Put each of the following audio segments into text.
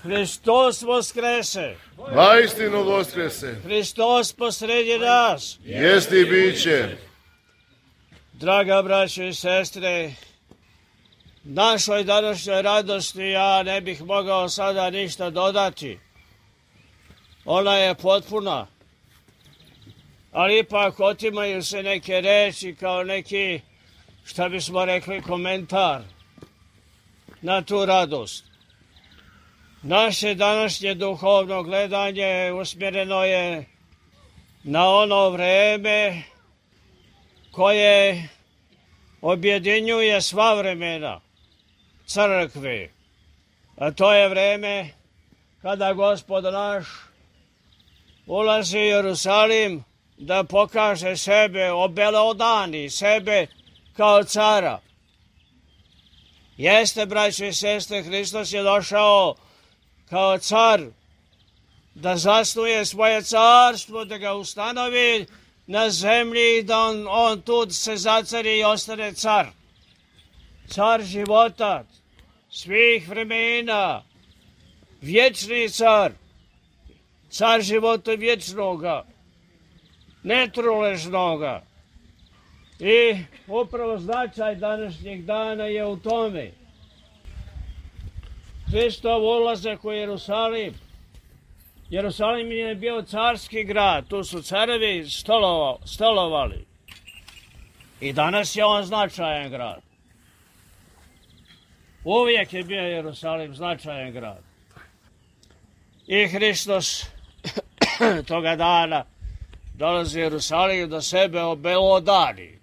Hristos voskrese. Vaistinu voskrese. Hristos posredi nas. Jesti i biće. Draga braćo i sestre, našoj današnjoj radosti ja ne bih mogao sada ništa dodati. Ona je potpuna. Ali ipak otimaju se neke reči kao neki, šta bismo rekli, komentar na tu radost. Naše današnje duhovno gledanje usmjereno je na ono vreme koje objedinjuje sva vremena crkve. A to je vreme kada Gospod naš ulazi u Jerusalim da pokaže sebe, obelodani sebe kao cara. Jeste, braćo i sestre, Hristos je došao kao car da zasnuje svoje carstvo, da ga ustanovi na zemlji i da on tu se zacari i ostane car. Car života, svih vremena, vječni car, car života vječnoga, netruležnoga. I upravo značaj današnjeg dana je u tome. Hristov ulazak u Jerusalim. Jerusalim je bio carski grad, tu su carevi stolovali. I danas je on značajan grad. Uvijek je bio Jerusalim značajan grad. I Hristos toga dana dolazi u Jerusalim da sebe obelodani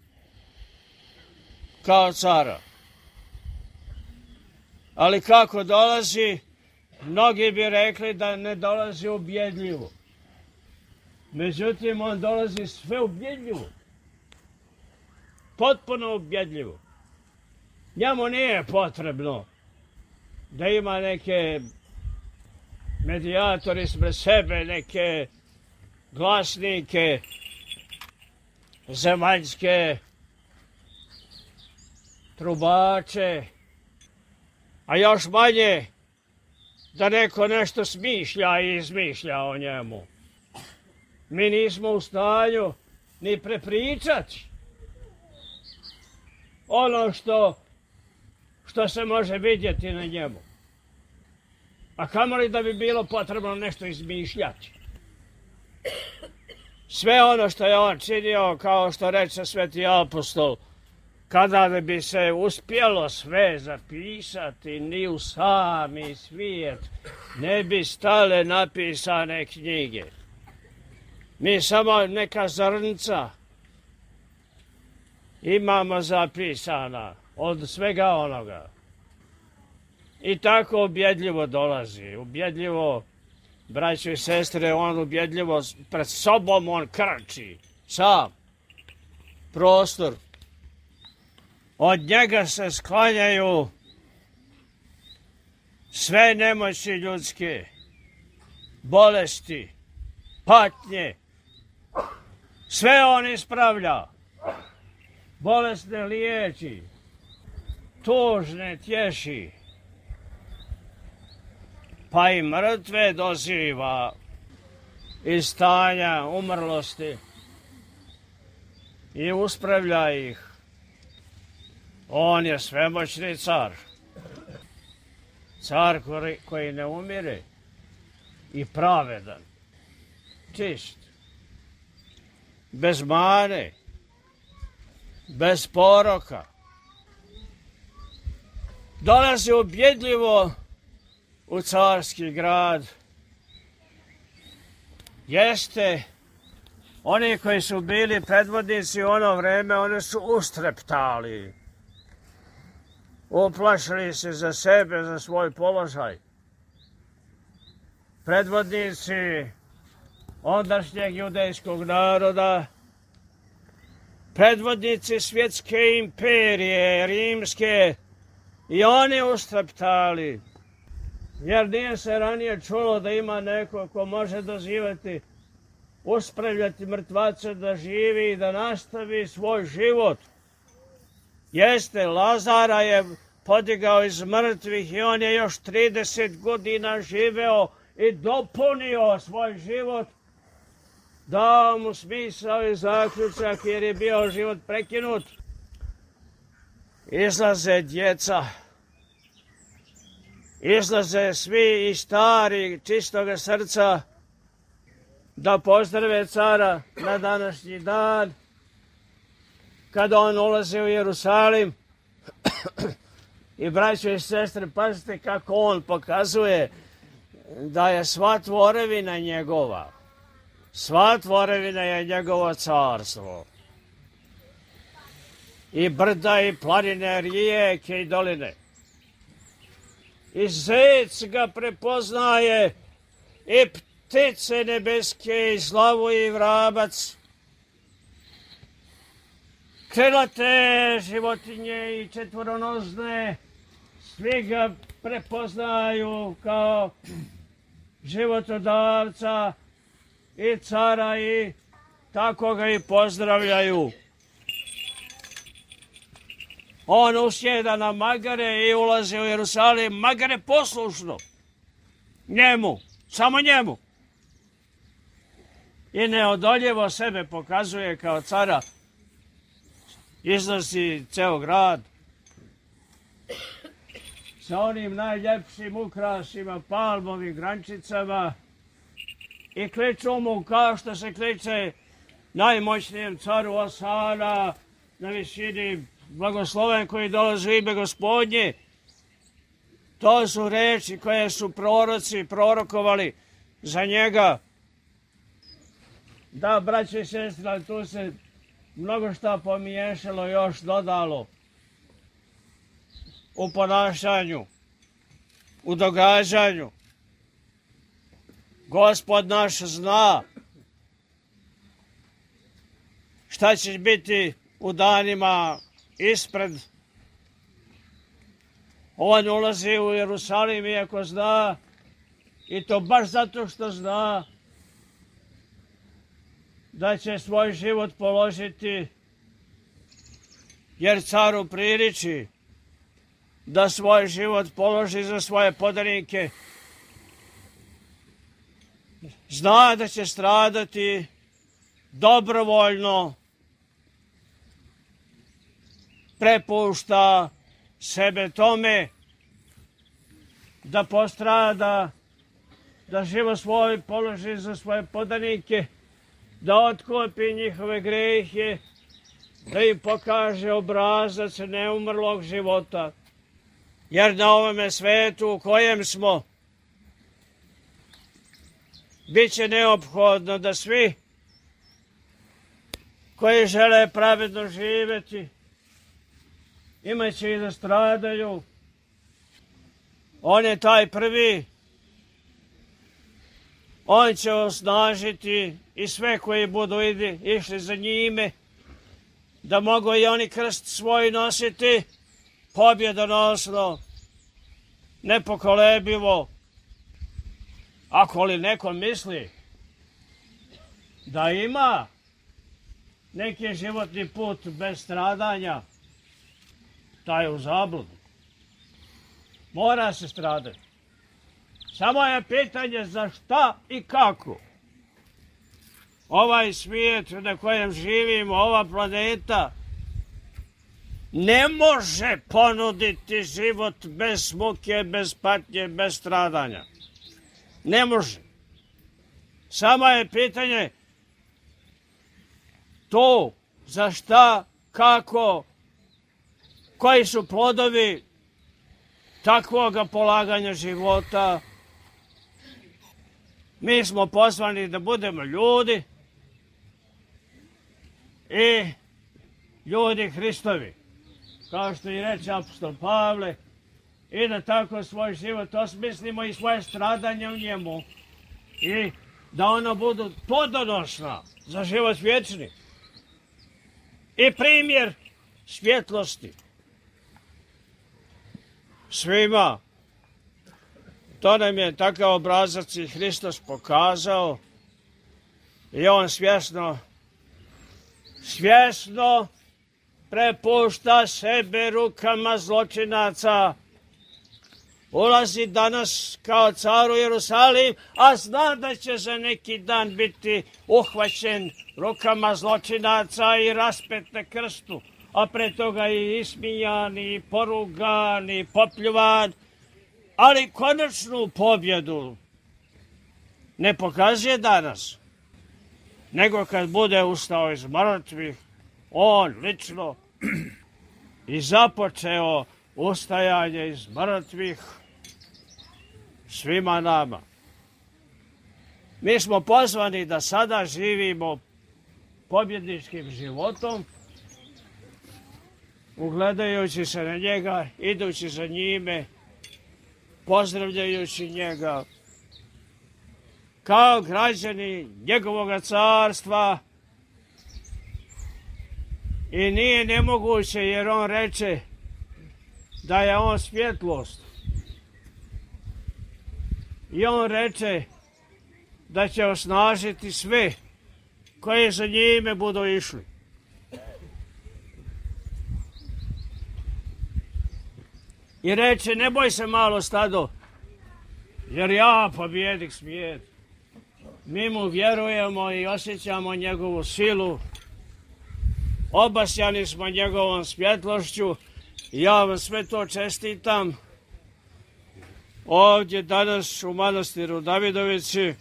kao cara. Ali kako dolazi, mnogi bi rekli da ne dolazi ubjedljivo. Međutim, on dolazi sve ubjedljivo. Potpuno ubjedljivo. Njemu nije potrebno da ima neke medijatori ispred sebe, neke glasnike zemaljske, trubače, a još manje da neko nešto smišlja i izmišlja o njemu. Mi nismo u stanju ni prepričati ono što se može vidjeti na njemu. A kamoli da bi bilo potrebno nešto izmišljati. Sve ono što je on činio, kao što reče sveti apostol, kada bi se uspjelo sve zapisati, ni u sami svijet ne bi stale napisane knjige. Mi samo neka zrnca imamo zapisana od svega onoga. I tako ubjedljivo dolazi, ubjedljivo, braćo i sestre, on ubjedljivo pred sobom on krči, sam, prostor. Od njega se sklanjaju sve nemoći ljudske, bolesti, patnje, sve on ispravlja, bolesne liječi, tužne tješi, pa i mrtve doziva iz stanja umrlosti i uspravlja ih. On je svemoćni car. Car koji ne umire i pravedan, čist, bez mane, bez poroka. Dolazi ubjedljivo u carski grad. Jeste, oni koji su bili predvodnici u ono vreme, oni su ustreptali. Uplašili se za sebe, za svoj položaj. Predvodnici ondašnjeg judejskog naroda, predvodnici svjetske imperije, rimske, i oni ustreptali. Jer nije se ranije čulo da ima neko ko može dozivati, uspravljati mrtvace da živi i da nastavi svoj život. Jeste, Lazara je podigao iz mrtvih i on je još 30 godina živeo i dopunio svoj život, dao mu smisao i zaključak jer je bio život prekinut. Izlaze djeca, izlaze svi i stari čistoga srca da pozdrave cara na današnji dan, kada on ulazi u Jerusalim. I braćo i sestre, pazite kako on pokazuje da je sva tvorevina njegova. Sva tvorevina je njegovo carstvo. I brda i planine, rijeke i doline. I zec ga prepoznaje, i ptice nebeske, i slavu i vrabac. Krilate životinje i četvoronozne, svi ga prepoznaju kao životodavca i cara i tako ga i pozdravljaju. On usjeda na magare i ulazi u Jerusalim, magare poslušno. Njemu, samo njemu. I neodoljivo sebe pokazuje kao cara. Iznosi ceo grad sa onim najljepšim ukrasima, palmovim grančicama i kliču mu kao što se kliče najmoćnijem caru Osana na visini blagosloven koji dolazi u ime Gospodnje. To su reči koje su proroci prorokovali za njega. Da, braće i sestre, tu se mnogo šta pomiješalo, još dodalo u ponašanju, u događanju. Gospod naš zna šta će biti u danima ispred. On ulazi u Jerusalim iako zna, i to baš zato što zna da će svoj život položiti, jer caru priliči da svoj život položi za svoje podanike. Zna da će stradati dobrovoljno, prepušta sebe tome da postrada, da život svoj položi za svoje podanike, da otkupi njihove grehe, da im pokaže obrazac neumrlog života. Jer na ovome svetu u kojem smo, bit će neophodno da svi koji žele pravedno živjeti, imaće i da stradaju. On je taj prvi. On će osnažiti i sve koji budu išli za njime, da mogu i oni krst svoj nositi pobjedonosno, nepokolebivo. Ako li neko misli da ima neki životni put bez stradanja, taj je u zabludu. Mora se stradati. Samo je pitanje za šta i kako. Ovaj svijet na kojem živimo, ova planeta, ne može ponuditi život bez muke, bez patnje, bez stradanja. Ne može. Samo je pitanje to za šta, kako, koji su plodovi takvoga polaganja života. Mi smo pozvani da budemo ljudi i ljudi Hristovi, kao što i reče apostol Pavle, i da tako svoj život osmislimo i svoje stradanje u njemu i da ona budu plodonosna za život vječni i primjer svjetlosti svima. To nam je takav obrazac i Hristos pokazao i on svjesno prepušta sebe rukama zločinaca. Ulazi danas kao car u Jerusalim, a zna da će za neki dan biti uhvaćen rukama zločinaca i raspet na krstu, a pre toga i ismijan, i porugan, i popljuvan, ali konačnu pobjedu ne pokazuje danas, nego kad bude ustao iz mrtvih, on lično i započeo ustajanje iz mrtvih svima nama. Mi smo pozvani da sada živimo pobjedničkim životom, ugledajući se na njega, idući za njime, pozdravljajući njega, kao građani njegovoga carstva. I nije nemoguće, jer on reče da je on svjetlost. I on reče da će osnažiti sve koji za njime budu išli. I reče, ne boj se malo stado, jer ja pobjednik svijeta. Mi mu vjerujemo i osjećamo njegovu silu, obasjani smo njegovom svjetlošću. Ja vam sve to čestitam ovdje danas u manastiru Davidovici.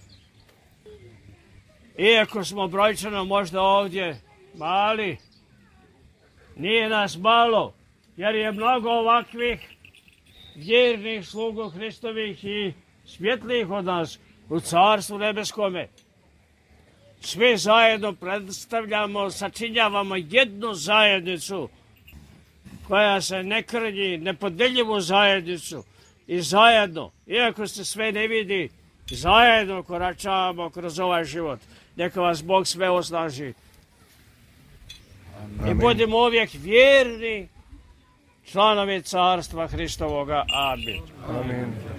Iako smo brojčano možda ovdje mali, nije nas malo, jer je mnogo ovakvih vjernih slugu Hristovih i svjetlih od nas u Carstvu nebeskome. Svi zajedno predstavljamo, sačinjavamo jednu zajednicu koja se ne krnji, nepodeljivu zajednicu. I zajedno, iako se sve ne vidi, zajedno koračavamo kroz ovaj život. Neka vas Bog sve osnaži. I budemo uvijek vjerni članovi Carstva Hristovoga. Amin. Amin.